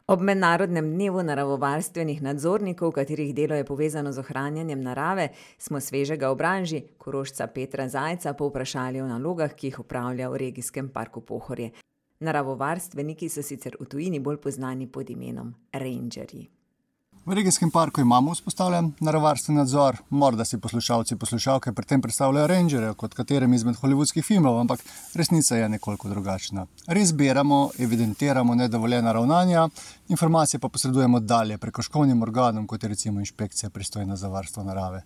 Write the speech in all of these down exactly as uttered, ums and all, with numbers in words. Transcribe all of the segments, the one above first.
Ob mednarodnem dnevu naravovarstvenih nadzornikov, katerih delo je povezano z ohranjanjem narave, smo svežega v branži, Korošca Petra Zajca, povprašali o nalogah, ki jih opravlja v regijskem parku Pohorje. Naravovarstveniki so sicer v tujini bolj poznani pod imenom rangerji. V regijskem parku imamo vzpostavljen naravovarstveni nadzor, morda si poslušalci poslušalke pri tem predstavljajo rangerje kot katerem izmed hollywoodskih filmov, ampak resnica je nekoliko drugačna. Res zbiramo, evidentiramo nedovoljena ravnanja, informacije pa posredujemo dalje prekrškovnim organom, kot je recimo inšpekcija pristojna za varstvo narave.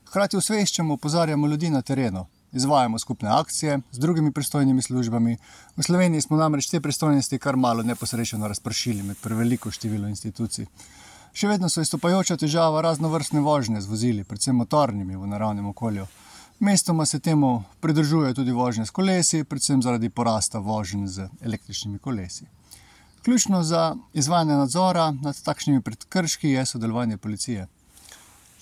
Hkrati osveščamo, opozarjamo ljudi na terenu. Izvajamo skupne akcije z drugimi pristojnimi službami. V Sloveniji smo namreč te pristojnosti kar malo neposrečeno razpršili med preveliko število institucij. Še vedno so izstopajoča težava raznovrstne vožnje z vozili, predvsem motornimi v naravnem okolju. Mestoma se temu pridružuje tudi vožnje s kolesi, predvsem zaradi porasta voženj z električnimi kolesi. Ključno za izvajanje nadzora nad takšnimi prekrški je sodelovanje policije.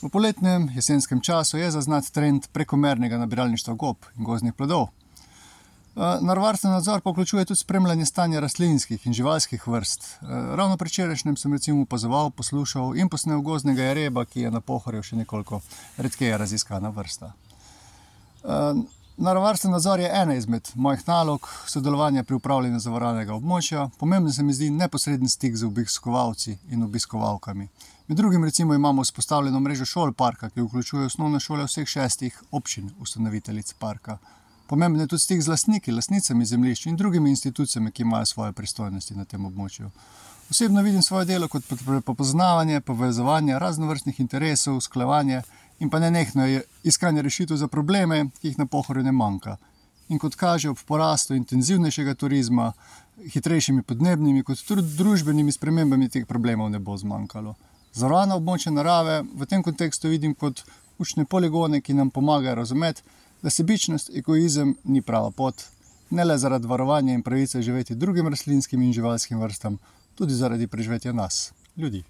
V poletnem, jesenskem času je zaznat trend prekomernega nabiralništva gob in gozdnih plodov. Naravovarstveni nadzor pa vključuje tudi spremljanje stanja rastlinskih in živalskih vrst. Ravno predvčerajšnjem sem recimo opazoval, poslušal in posnel gozdnega jereba, ki je na Pohorju še nekoliko redkeje raziskana vrsta. Naravovarstveni nadzor je ena izmed mojih nalog sodelovanja pri upravljanju zavarovanega območja. Pomembno se mi zdi neposreden stik z obiskovalci in obiskovalkami. Med drugim recimo imamo vzpostavljeno mrežo šol parka, ki vključuje osnovne šole vseh šestih občin ustanoviteljic parka. Pomemben je tudi stik z lastniki, lastnicami zemljišč in drugimi institucijami, ki imajo svoje pristojnosti na tem območju. Osebno vidim svoje delo kot prepoznavanje, povezovanje raznovrstnih interesov, usklajevanje in pa nenehno iskanje rešitev za probleme, ki jih na Pohorju ne manjka. In kot kaže, ob porastu intenzivnejšega turizma, hitrejšimi podnebnimi kot tudi družbenimi spremembami teh problemov ne bo zmanjkalo. Zavarovana območja narave v tem kontekstu vidim kot učne poligone, ki nam pomagajo razumeti, da sebičnost, egoizem ni prava pot, ne le zaradi varovanja in pravice živeti drugim rastlinskim in živalskim vrstam, tudi zaradi preživetja nas, ljudi.